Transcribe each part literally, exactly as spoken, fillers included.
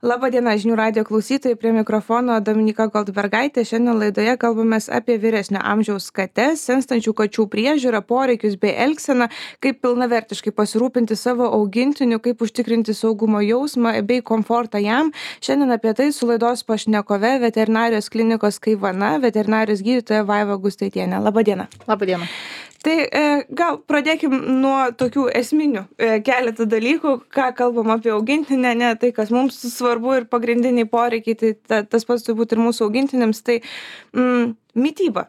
Labadiena, žinių radijo klausytojai, prie mikrofono Dominika Goldbergaitė. Šiandien laidoje kalbamės apie vyresnio amžiaus kates, senstančių kačių priežiūrą, poreikius bei elgseną, kaip pilnavertiškai pasirūpinti savo augintiniu, kaip užtikrinti saugumo jausmą bei komfortą jam. Šiandien apie tai su laidos pašnekove veterinarijos klinikos Kaivana, veterinarijos gydytoja Vaiva Gustaitienė. Labadiena. Labadiena. Tai e, gal pradėkim nuo tokių esminių e, keletą dalykų, ką kalbam apie augintinę, ne tai, kas mums svarbu ir pagrindiniai poreikiai, tai ta, tas pats turbūt ir mūsų augintiniams, tai mm, mytyba.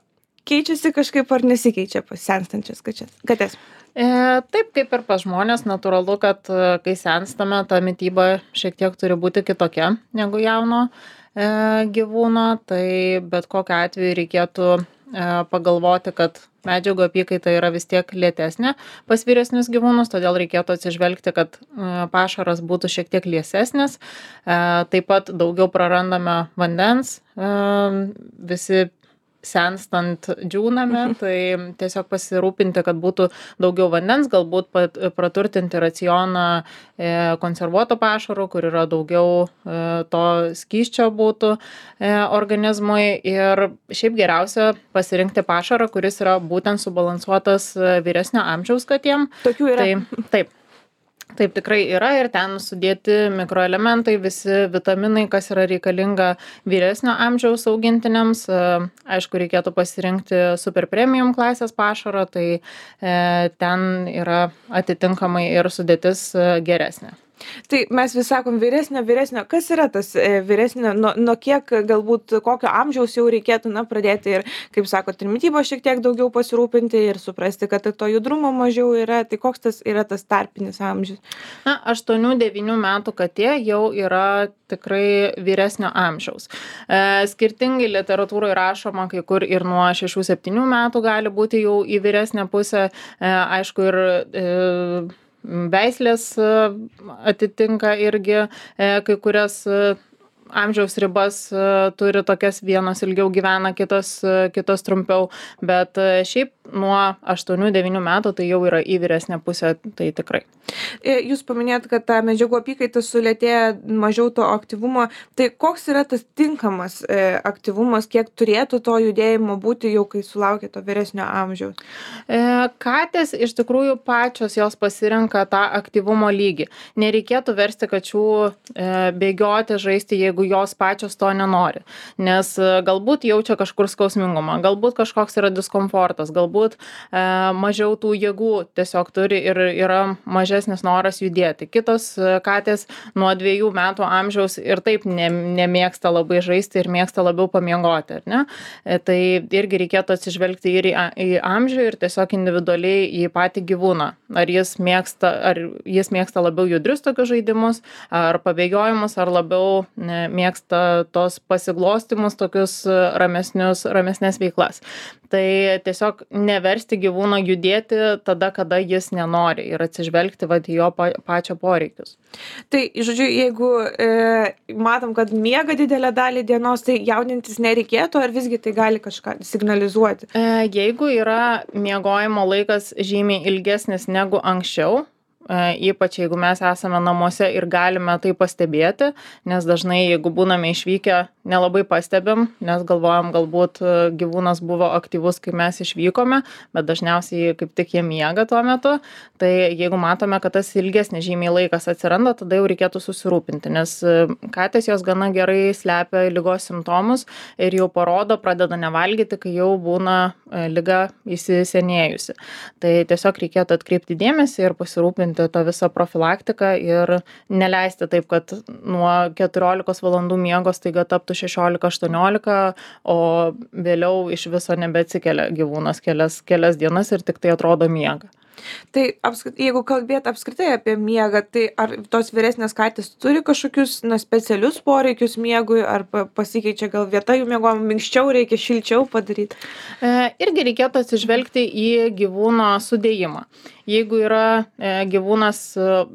Keičiasi kažkaip ar nesikeičia pas senstančias kates? E, taip, kaip ir pas žmonės, natūralu, kad kai senstame, ta mytyba šiek tiek turi būti kitokia negu jauno e, gyvūno, tai bet kokiu atveju reikėtų e, pagalvoti, kad medžiagų apykaita yra vis tiek lėtesnė pas vyresnius gyvūnus, todėl reikėtų atsižvelgti, kad pašaras būtų šiek tiek liesesnis. Taip pat daugiau prarandame vandens, visi senstant džiūname, tai tiesiog pasirūpinti, kad būtų daugiau vandens, galbūt praturtinti racioną konservuoto pašaro, kur yra daugiau to skysčio būtų organizmui, ir šiaip geriausia pasirinkti pašarą, kuris yra būtent subalansuotas vyresnio amžiaus katėm. Tokių yra. Tai, taip. Taip tikrai yra ir ten sudėti mikroelementai, visi vitaminai, kas yra reikalinga vyresnio amžiaus augintiniams. Aišku, reikėtų pasirinkti super premium klasės pašarą, tai e, ten yra atitinkamai ir sudėtis geresnė. Tai mes vis sakom vyresnio, vyresnio. Kas yra tas e, vyresnio, nuo, nuo kiek galbūt kokio amžiaus jau reikėtų na, pradėti ir, kaip sakot, ir mytybo šiek tiek daugiau pasirūpinti ir suprasti, kad to judrumo mažiau yra. Tai koks tas yra tas tarpinis amžius? Na, aštuonių devynių metų katė jau yra tikrai vyresnio amžiaus. E, skirtingai literatūroje rašoma, kai kur ir nuo šešių septynių metų gali būti jau į vyresnę pusę. E, aišku, ir e, veislės atitinka irgi kai kurias amžiaus ribas, turi tokias, vienos ilgiau gyvena, kitos, kitos trumpiau, bet šiaip nuo aštuonių devynių metų tai jau yra į vyresnę pusę, tai tikrai. Jūs paminėjot, kad ta medžiagų apykaita sulėtėja, mažiau to aktyvumo. Tai koks yra tas tinkamas e, aktyvumas, kiek turėtų to judėjimo būti jau, kai sulaukia to vyresnio amžiaus? E, katės iš tikrųjų pačios jos pasirenka tą aktyvumo lygį. Nereikėtų versti kačių e, bėgioti, žaisti, jeigu jos pačios to nenori. Nes e, galbūt jaučia kažkur skausmingumą, galbūt kažkoks yra diskomfortas, galbūt e, mažiau tų jėgų tiesiog turi ir yra mažesnis noras judėti. Kitos katės nuo dviejų metų amžiaus ir taip ne, nemėgsta labai žaisti ir mėgsta labiau pamiegoti, ar ne? Tai irgi reikėtų atsižvelgti ir į, į amžių ir tiesiog individualiai į patį gyvūną. Ar jis mėgsta, ar jis mėgsta labiau judrius tokius žaidimus, ar pabėgiojimus, ar labiau ne, mėgsta tos pasiglostimus, tokius ramesnius, ramesnės veiklas. Tai tiesiog neversti gyvūno judėti tada, kada jis nenori ir atsižvelgti vat, į jo pa, pačio poreikius. Tai, žodžiu, jeigu e, matom, kad miega didelę dalį dienos, tai jaudintis nereikėtų, ar visgi tai gali kažką signalizuoti? E, jeigu yra miegojimo laikas žymiai ilgesnis negu anksčiau, ypač jeigu mes esame namuose ir galime tai pastebėti, nes dažnai, jeigu būname išvykę, nelabai pastebim, nes galvojam, galbūt gyvūnas buvo aktyvus, kai mes išvykome, bet dažniausiai kaip tik jie miega tuo metu. Tai jeigu matome, kad tas ilgesnis žymiai laikas atsiranda, tada jau reikėtų susirūpinti, nes katės jos gana gerai slepia ligos simptomus ir jau parodo, pradeda nevalgyti, kai jau būna liga įsisenėjusi. Tai tiesiog reikėtų atkreipti dėmesį ir pasirūpinti tą visą profilaktiką ir neleisti taip, kad nuo keturiolikos valandų miego staiga taptų šešiolika aštuoniolika, o vėliau iš viso nebeatsikelia gyvūnas kelias, kelias dienas ir tik tai atrodo miega. Tai apskrit, jeigu kalbėt apskritai apie miegą, tai ar tos vyresnės katės turi kažkokius na, specialius poreikius miegui, ar pasikeičia gal vieta jų miegojimo, minkščiau reikia, šilčiau padaryti? E, irgi reikėtų atsižvelgti į gyvūno sudėjimą. Jeigu yra e, gyvūnas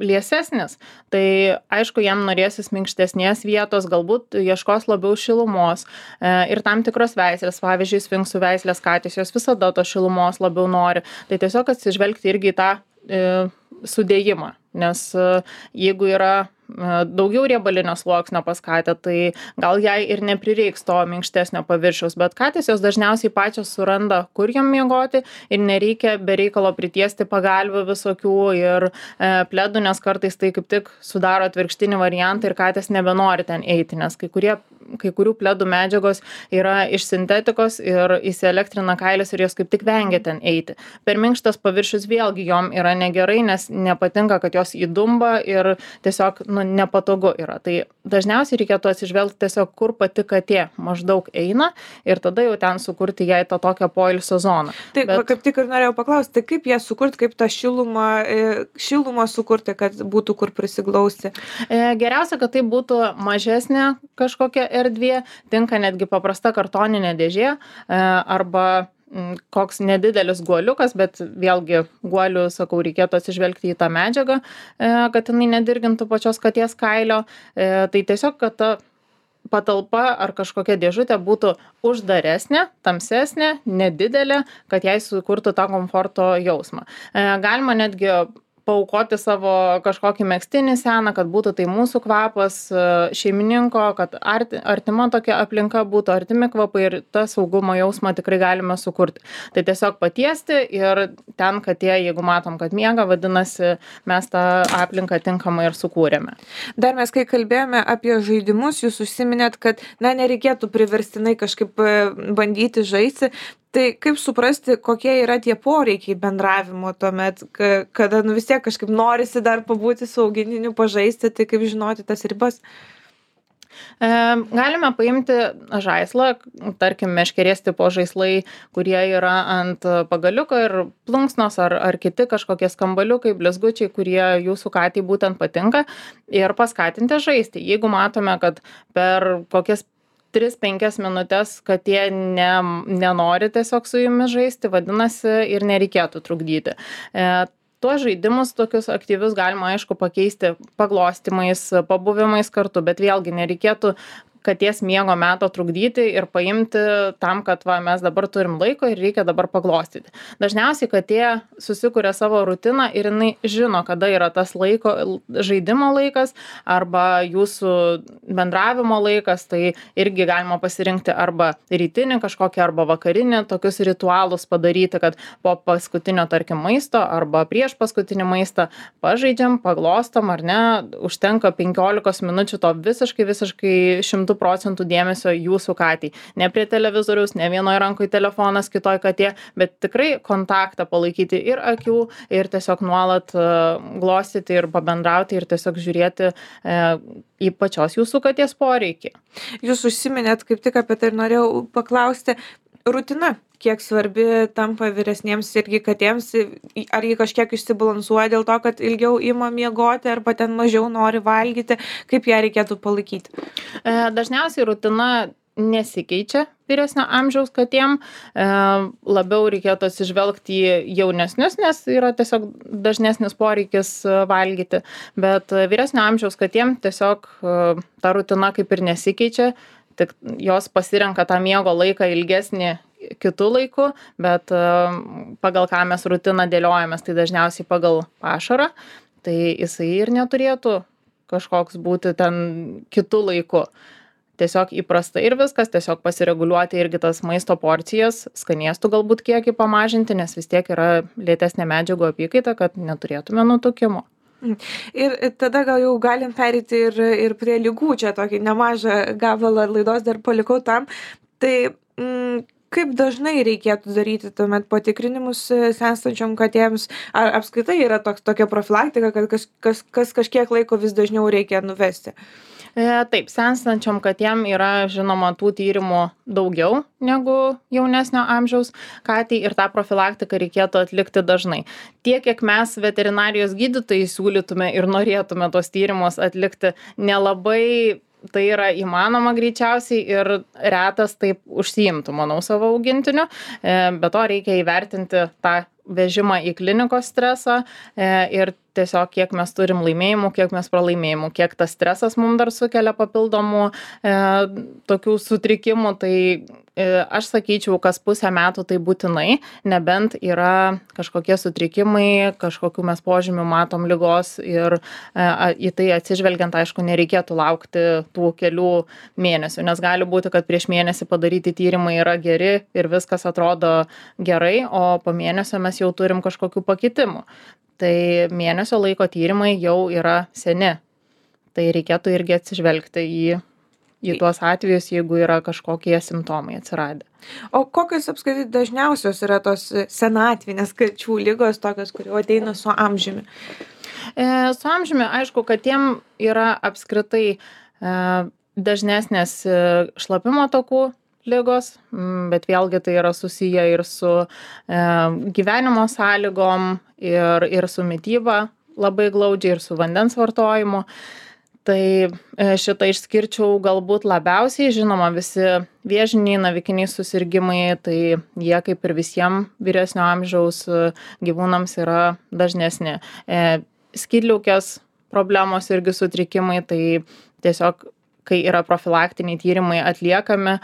liesesnis, tai aišku, jam norėsis minkštesnės vietos, galbūt ieškos labiau šilumos e, ir tam tikros veislės, pavyzdžiui, sfinksų veislės katės, jos visada to šilumos labiau nori. Tai tiesiog atsižvelgti irgi į tą e, sudėjimą, nes e, jeigu yra daugiau riebalinio sluoksnio pas katę, tai gal jai ir neprireiks to minkštesnio paviršiaus, bet katės jos dažniausiai pačios suranda, kur jom miegoti ir nereikia be reikalo pritiesti pagalvių visokių ir e, pledų, nes kartais tai kaip tik sudaro atvirkštinį variantą ir katės nebenori ten eiti, nes kai, kurie, kai kurių pledų medžiagos yra iš sintetikos ir įsielektrina kailis ir jos kaip tik vengia ten eiti. Per minkštas paviršius vėlgi jom yra negerai, nes nepatinka, kad jos įdumba ir tiesiog nu, nepatogu yra. Tai dažniausiai reikėtų atsižvelgti tiesiog, kur pati katė maždaug eina ir tada jau ten sukurti jai tą tokią poilsio zoną. Taip, Bet... kaip tik ir norėjau paklausti, kaip ją sukurti, kaip tą šilumą, šilumą sukurti, kad būtų kur prisiglausti? Geriausia, kad tai būtų mažesnė kažkokia erdvė, tinka netgi paprasta kartoninė dėžė arba koks nedidelis guoliukas, bet vėlgi guolių, sakau, reikėtų atsižvelgti į tą medžiagą, kad jinai nedirgintų pačios katės kailio. Tai tiesiog, kad ta patalpa ar kažkokia dėžutė būtų uždaresnė, tamsesnė, nedidelė, kad jai sukurtų tą komforto jausmą. Galima netgi paaukoti savo kažkokį megztinį seną, kad būtų tai mūsų kvapas šeimininko, kad arti, artima tokia aplinka būtų, artimi kvapai ir tą saugumo jausmą tikrai galime sukurti. Tai tiesiog patiesti ir ten katė, jeigu matom, kad miega, vadinasi, mes tą aplinką tinkamai ir sukūrėme. Dar mes, kai kalbėjome apie žaidimus, jūs užsiminėt, kad na, nereikėtų priverstinai kažkaip bandyti žaisti. Tai kaip suprasti, kokie yra tie poreikiai bendravimo tuomet, kada nu, vis tiek kažkaip norisi dar pabūti su augintiniu, pažaisti, tai kaip žinoti tas ribas? E, galime paimti žaislą, tarkim, meškerės tipo žaislai, kurie yra ant pagaliuko ir plunksnos ar, ar kiti kažkokie skambaliukai, blizgučiai, kurie jūsų katei būtent patinka ir paskatinti žaisti. Jeigu matome, kad per kokias tris penkias minutės katė ne, nenori tiesiog su jumis žaisti, vadinasi, ir nereikėtų trukdyti. E, tuos žaidimus tokius aktyvius galima, aišku, pakeisti paglostymais, pabuvimais kartu, bet vėlgi nereikėtų katės miego meto trukdyti ir paimti tam, kad va, mes dabar turim laiko ir reikia dabar paglostyti. Dažniausiai katė susikuria savo rutiną ir jinai žino, kada yra tas laiko, žaidimo laikas arba jūsų bendravimo laikas, tai irgi galima pasirinkti arba rytinį kažkokį arba vakarinį, tokius ritualus padaryti, kad po paskutinio, tarkim, maisto arba prieš paskutinį maistą pažaidžiam, paglostom ar ne, užtenka penkiolikos minučių to visiškai, visiškai šimtų procentų dėmesio jūsų katei. Ne prie televizoriaus, ne vienoje rankoje telefonas, kitoj katė, bet tikrai kontaktą palaikyti ir akių, ir tiesiog nuolat uh, glostyti ir pabendrauti ir tiesiog žiūrėti uh, į pačios jūsų katės poreikį. Jūs užsiminėt, kaip tik apie tai ir norėjau paklausti, rutina, kiek svarbi tampa vyresniems irgi katėms, ar jį kažkiek išsibalansuoja dėl to, kad ilgiau ima miegoti arba ten mažiau nori valgyti, kaip ją reikėtų palaikyti? Dažniausiai rutina nesikeičia vyresnio amžiaus katėm, labiau reikėtų atsižvelgti į jaunesnius, nes yra tiesiog dažnesnis poreikis valgyti, bet vyresnio amžiaus katėm tiesiog ta rutina kaip ir nesikeičia, tik jos pasirenka tą miego laiką ilgesnį kitų laikų, bet pagal ką mes rutiną dėliojamės, tai dažniausiai pagal pašarą, tai jisai ir neturėtų kažkoks būti ten kitų laikų. Tiesiog įprasta ir viskas, tiesiog pasireguliuoti irgi tas maisto porcijas, skanėstų galbūt kiekį pamažinti, nes vis tiek yra lėtesnė medžiagų apykaita, kad neturėtume nutukimo. Ir tada gal jau galim pereiti ir, ir prie lygų, čia tokį nemažą gabalą laidos dar palikau tam. Tai mm, kaip dažnai reikėtų daryti tuomet patikrinimus senstančiom katėms? Ar apskritai yra toks, tokia profilaktika, kad kas, kas, kas kažkiek laiko vis dažniau reikia nuvesti? Taip, senstančiom katėm yra žinoma tų tyrimų daugiau negu jaunesnio amžiaus katei ir tą profilaktiką reikėtų atlikti dažnai. Tiek, kiek mes veterinarijos gydytojai siūlytume ir norėtume tos tyrimus atlikti, nelabai tai yra įmanoma greičiausiai ir retas taip užsiimtų, manau, savo augintiniu. Be to reikia įvertinti tą vežimą į klinikos stresą ir tiesiog kiek mes turim laimėjimų, kiek mes pralaimėjimų, kiek tas stresas mums dar sukelia papildomų e, tokių sutrikimų, tai e, aš sakyčiau, kas pusę metų tai būtinai, nebent yra kažkokie sutrikimai, kažkokių mes požymių matom ligos ir e, į tai atsižvelgiant, aišku, nereikėtų laukti tų kelių mėnesių, nes gali būti, kad prieš mėnesį padaryti tyrimai yra geri ir viskas atrodo gerai, o po mėnesio mes jau turim kažkokių pakitimų. Tai mėnesio laiko tyrimai jau yra seni. Tai reikėtų irgi atsižvelgti į, į tuos atvejus, jeigu yra kažkokie simptomai atsiradę. O kokios apskritai dažniausios yra tos senatvinės kačių ligos, tokios, kurios ateina su amžiumi? E, su amžiumi, aišku, kad tiem yra apskritai e, dažnesnės šlapimo takų ligos, bet vėlgi tai yra susiję ir su e, gyvenimo sąlygom, ir, ir su mityba labai glaudžiai, ir su vandens vartojimu. Tai e, šitą išskirčiau galbūt labiausiai, žinoma, visi vėžiniai, navikiniai susirgymai, tai jie kaip ir visiems vyresnio amžiaus gyvūnams yra dažnesni. E, skydliaukės problemos irgi sutrikimai, tai tiesiog kai yra profilaktiniai tyrimai atliekami,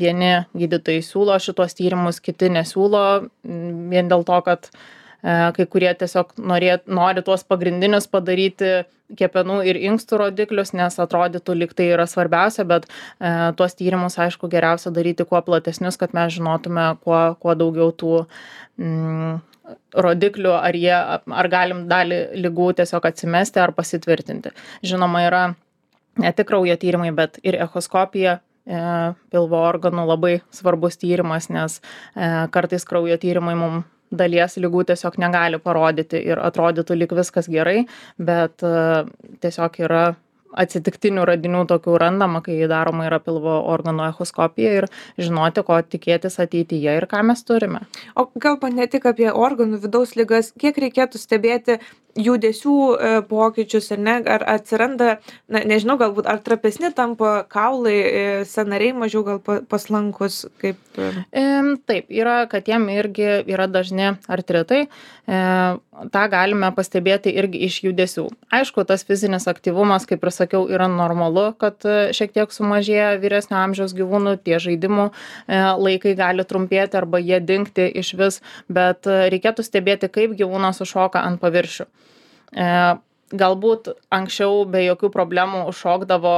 vieni gydytojai siūlo šitos tyrimus, kiti nesiūlo, vien dėl to, kad kai kurie tiesiog norė, nori tuos pagrindinius padaryti kepenų ir inkstų rodiklius, nes atrodytų lyg tai yra svarbiausia, bet tuos tyrimus, aišku, geriausia daryti kuo platesnius, kad mes žinotume kuo, kuo daugiau tų mm, rodiklių, ar, jie, ar galim dalį ligų tiesiog atsimesti ar pasitvirtinti. Žinoma, yra ne tik kraujo tyrimai, bet ir echoskopija e, pilvo organų labai svarbus tyrimas, nes e, kartais kraujo tyrimai mums dalies ligų tiesiog negali parodyti ir atrodytų lyg viskas gerai, bet e, tiesiog yra atsitiktinių radinių tokių randama, kai daroma yra pilvo organų echoskopija ir žinoti, ko tikėtis ateityje ir ką mes turime. O kalbant ne tik apie organų vidaus ligas, kiek reikėtų stebėti judesių e, pokyčius, ar ne, ar atsiranda, na, nežinau, galbūt ar trapesni tampa kaulai, e, sąnariai mažiau gal pa, paslankus, kaip... E... E, taip, yra, kad jiem irgi yra dažni artritai, e, tą galime pastebėti irgi iš judesių. Aišku, tas fizinis aktyvumas, kaip ir sakiau, yra normalu, kad šiek tiek sumažėja vyresnio amžiaus gyvūnų, tie žaidimų e, laikai gali trumpėti arba jie dingti iš vis, bet reikėtų stebėti, kaip gyvūnas užšoka ant paviršių. E, galbūt anksčiau be jokių problemų užšokdavo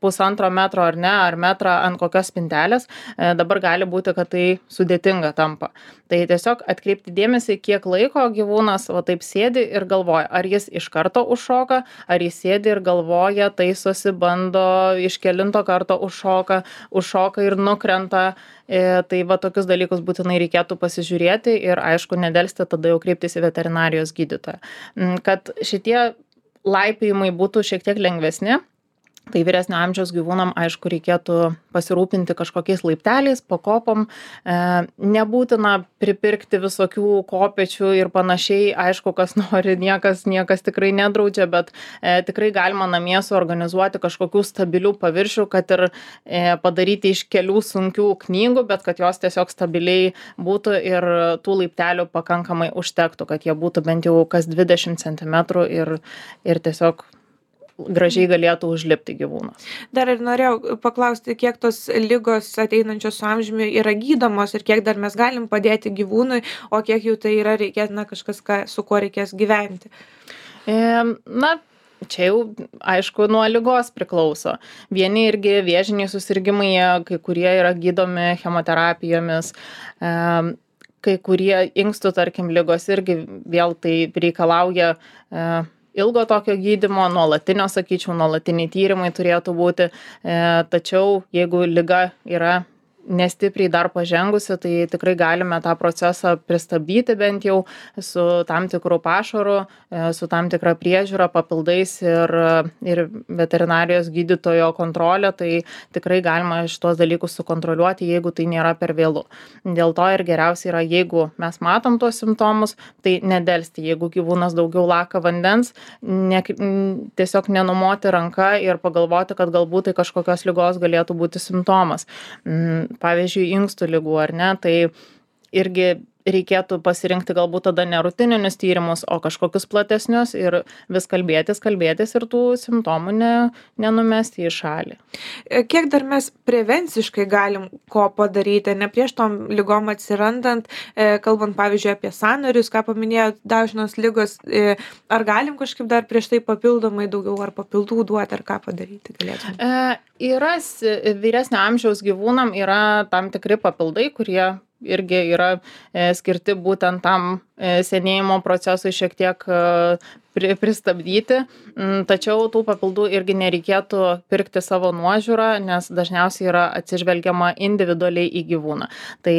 pusantro metro ar ne, ar metrą ant kokios spintelės, e, dabar gali būti, kad tai sudėtinga tampa. Tai tiesiog atkreipti dėmesį, kiek laiko gyvūnas va taip sėdi ir galvoja, ar jis iš karto užšoka, ar jis sėdi ir galvoja, taisosi, bando, iš kelinto karto užšoka, užšoka ir nukrenta. E, tai va tokius dalykus būtinai reikėtų pasižiūrėti ir aišku, nedelsti tada jau kreiptis į veterinarijos gydytoją. Kad šitie laipėjimai būtų šiek tiek lengvesni, tai vyresnio amžiaus gyvūnam, aišku, reikėtų pasirūpinti kažkokiais laipteliais, pakopom. E, nebūtina pripirkti visokių kopečių ir panašiai. Aišku, kas nori, niekas, niekas tikrai nedraudžia, bet e, tikrai galima namie suorganizuoti kažkokių stabilių paviršių, kad ir e, padaryti iš kelių sunkių knygų, bet kad jos tiesiog stabiliai būtų ir tų laiptelių pakankamai užtektų, kad jie būtų bent jau kas dvidešimt centimetrų ir, ir tiesiog gražiai galėtų užlipti gyvūnas. Dar ir norėjau paklausti, kiek tos ligos ateinančios su amžiumi yra gydomos ir kiek dar mes galim padėti gyvūnui, o kiek jų tai yra reikės, na, kažkas, ką, su kuo reikės gyventi. E, na, čia jau, aišku, nuo ligos priklauso. Vieni irgi vėžiniai susirgymai, kai kurie yra gydomi chemoterapijomis, e, kai kurie inkstų, tarkim, ligos irgi vėl tai reikalauja e, ilgo tokio gydymo, nuolatinio, sakyčiau, nuolatiniai tyrimai turėtų būti, e, tačiau jeigu liga yra nestipriai dar pažengusi, tai tikrai galime tą procesą pristabdyti bent jau su tam tikru pašaru, e, su tam tikra priežiūra, papildais ir, ir veterinarijos gydytojo kontrolė, tai tikrai galima šitos dalykus sukontroliuoti, jeigu tai nėra per vėlu. Dėl to ir geriausia yra, jeigu mes matom tuos simptomus, tai nedelsti, jeigu gyvūnas daugiau laka vandens, ne, tiesiog nenumoti ranką ir pagalvoti, kad galbūt tai kažkokios ligos galėtų būti simptomas. Pavyzdžiui, inkstų ligų ar ne, tai irgi reikėtų pasirinkti galbūt tada ne rutininius tyrimus, o kažkokius platesnius ir vis kalbėtis, kalbėtis ir tų simptomų ne, nenumesti į šalį. Kiek dar mes prevenciškai galim ko padaryti, ne prieš tom lygom atsirandant, kalbant pavyzdžiui apie sąnarius, ką paminėjo dažnos lygos, ar galim kažkaip dar prieš tai papildomai daugiau ar papildų duoti, ar ką padaryti galėtume? E, yra vyresnio amžiaus gyvūnam yra tam tikri papildai, kurie irgi yra e, skirti būtent tam e, senėjimo procesui šiek tiek e, pri, pristabdyti, mm, tačiau tų papildų irgi nereikėtų pirkti savo nuožiūrą, nes dažniausiai yra atsižvelgiama individualiai į gyvūną. Tai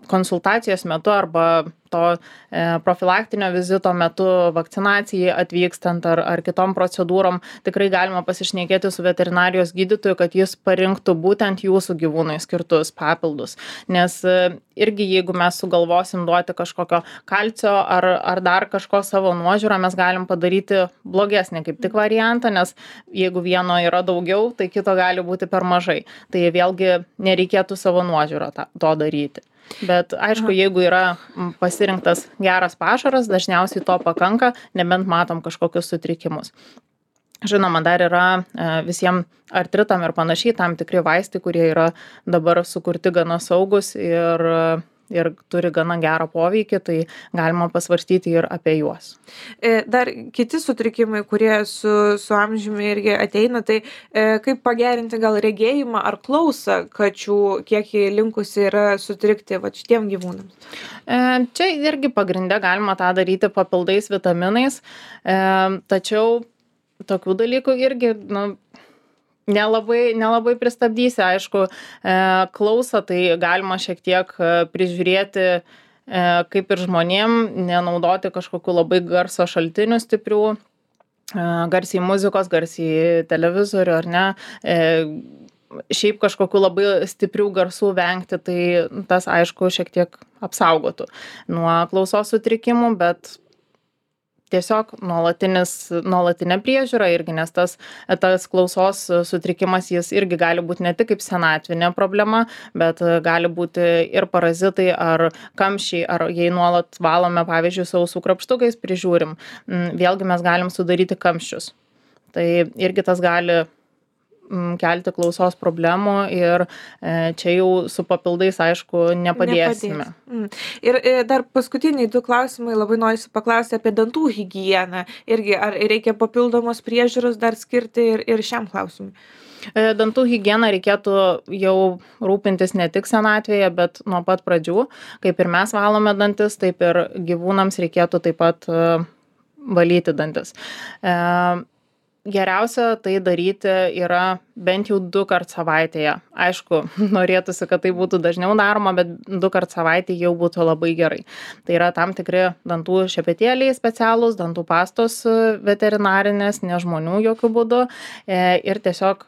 konsultacijos metu arba to e, profilaktinio vizito metu vakcinacijai atvykstant ar, ar kitom procedūrom tikrai galima pasišnekėti su veterinarijos gydytoju, kad jis parinktų būtent jūsų gyvūnui skirtus papildus. Nes e, irgi jeigu mes sugalvosim duoti kažkokio kalcio ar, ar dar kažko savo nuožiūrą, mes galim padaryti blogesnį kaip tik variantą, nes jeigu vieno yra daugiau, tai kito gali būti per mažai. Tai vėlgi nereikėtų savo nuožiūrą ta, to daryti. Bet aišku, jeigu yra pasirinktas geras pašaras, dažniausiai to pakanka, nebent matom kažkokius sutrikimus. Žinoma, dar yra visiems artritam ir panašiai tam tikri vaistai, kurie yra dabar sukurti gana saugus ir, ir turi gana gerą poveikį, tai galima pasvarstyti ir apie juos. Dar kiti sutrikimai, kurie su, su amžiumi irgi ateina, tai kaip pagerinti gal regėjimą ar klausą kačių, kiek jie linkusi yra sutrikti va šitiem gyvūnams? Čia irgi pagrinde galima tą daryti papildais vitaminais, tačiau tokių dalykų irgi, nu, Nelabai, nelabai pristabdysi, aišku, e, klausą, tai galima šiek tiek prižiūrėti, e, kaip ir žmonėm, nenaudoti kažkokių labai garso šaltinių stiprių, e, garsiai muzikos, garsiai televizorių ar ne, e, šiaip kažkokių labai stiprių garsų vengti, tai tas, aišku, šiek tiek apsaugotų nuo klausos sutrikimų, bet tiesiog nuolatinis, nuolatinė priežiūra irgi, nes tas, tas klausos sutrikimas jis irgi gali būti ne tik kaip senatvinė problema, bet gali būti ir parazitai ar kamščiai, ar jei nuolat valome, pavyzdžiui, sausų krapštukais prižiūrim, vėlgi mes galim sudaryti kamščius. Tai irgi tas gali kelti klausos problemų ir čia jau su papildais, aišku, nepadėsime. Nepadės. Ir dar paskutiniai du klausimai, labai norisi paklausti apie dantų higieną. Irgi, ar reikia papildomos priežiūros dar skirti ir, ir šiam klausimui? Dantų higieną reikėtų jau rūpintis ne tik senatvėje, bet nuo pat pradžių. Kaip ir mes valome dantis, taip ir gyvūnams reikėtų taip pat valyti dantis. Geriausia tai daryti yra bent jau du kart savaitėje. Aišku, norėtųsi, kad tai būtų dažniau daroma, bet du kart savaitėje jau būtų labai gerai. Tai yra tam tikri dantų šepetėliai specialūs, dantų pastos veterinarinės, ne žmonių jokių būdų. Ir tiesiog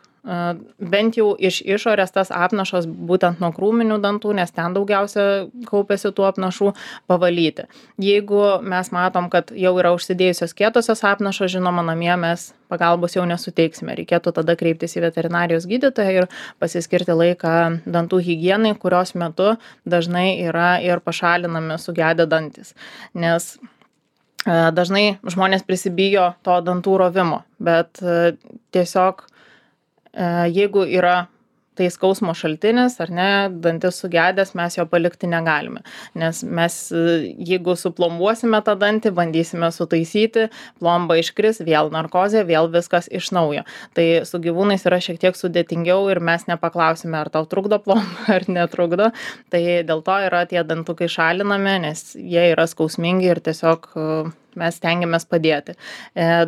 bent jau iš išorės tas apnašas būtent nuo krūminių dantų, nes ten daugiausia kaupiasi tų apnašų, pavalyti. Jeigu mes matom, kad jau yra užsidėjusios kietosios apnašos, žinoma, namie mes pagalbos jau nesuteiksime. Reikėtų tada kreiptis į veterinarijos gydytoją ir pasiskirti laiką dantų higienai, kurios metu dažnai yra ir pašalinami sugedę dantis. Nes dažnai žmonės prisibijo to dantų rovimo, bet tiesiog jeigu yra tai skausmo šaltinis ar ne, dantis sugedęs, mes jo palikti negalime. Nes mes, jeigu suplombuosime tą dantį, bandysime sutaisyti, plomba iškris, vėl narkozė, vėl viskas iš naujo. Tai su gyvūnais yra šiek tiek sudėtingiau ir mes nepaklausime, ar tau trukdo plomba ar netrukdo. Tai dėl to yra tie dantukai šalinami, nes jie yra skausmingi ir tiesiog mes stengiamės padėti.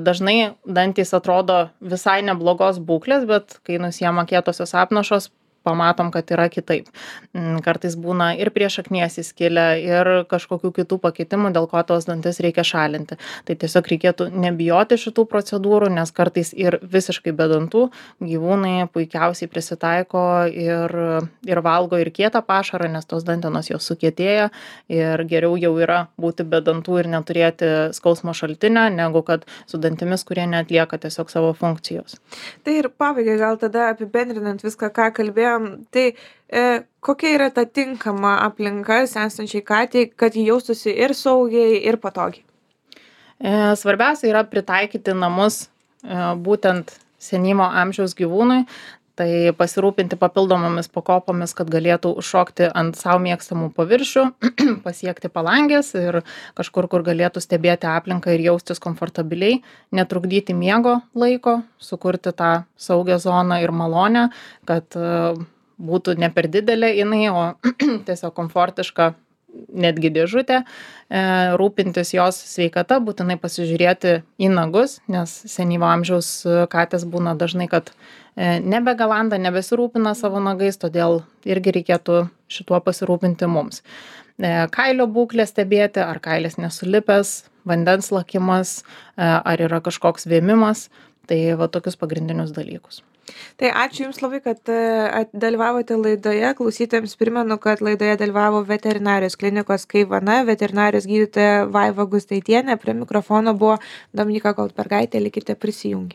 Dažnai dantys atrodo visai neblogos būklės, bet kai nusiema kietosios apnašos, pamatom, kad yra kitaip. Kartais būna ir prie šaknies įskilę, ir kažkokių kitų pakitimų, dėl ko tos dantis reikia šalinti. Tai tiesiog reikėtų nebijoti šitų procedūrų, nes kartais ir visiškai be dantų gyvūnai puikiausiai prisitaiko ir, ir valgo ir kietą pašarą, nes tos dantenos jos sukietėja ir geriau jau yra būti be dantų ir neturėti skausmo šaltinio, negu kad su dantimis, kurie neatlieka tiesiog savo funkcijos. Tai ir pabaigai gal tada apibendrinant viską, ką kalbėjome, Tai e, kokia yra ta tinkama aplinka senstančiai katei, kad ji jaustųsi ir saugiai, ir patogiai? E, Svarbiausia yra pritaikyti namus e, būtent senyvo amžiaus gyvūnui, tai pasirūpinti papildomomis pakopomis, kad galėtų užšokti ant savo mėgstamų paviršių, pasiekti palangės ir kažkur, kur galėtų stebėti aplinką ir jaustis komfortabiliai, netrukdyti miego laiko, sukurti tą saugią zoną ir malonę, kad e, būtų ne per didelė jinai, o tiesiog komfortiška netgi dėžutė, e, rūpintis jos sveikata, būtinai pasižiūrėti į nagus, nes senyvo amžiaus katės būna dažnai, kad e, nebegalanda, nebesirūpina savo nagais, todėl irgi reikėtų šituo pasirūpinti mums. E, kailio būklę stebėti, ar kailis nesulipęs, vandens lakimas, e, ar yra kažkoks vėmimas, tai va tokius pagrindinius dalykus. Tai ačiū Jums labai, kad e, dalyvavote laidoje. Klausytojams primenu, kad laidoje dalyvavo veterinarijos klinikos Kaivana, veterinarijos gydytoja Vaiva Gustaitienė. Prie mikrofono buvo Dominyka Goldbergaitė. Likite prisijungę.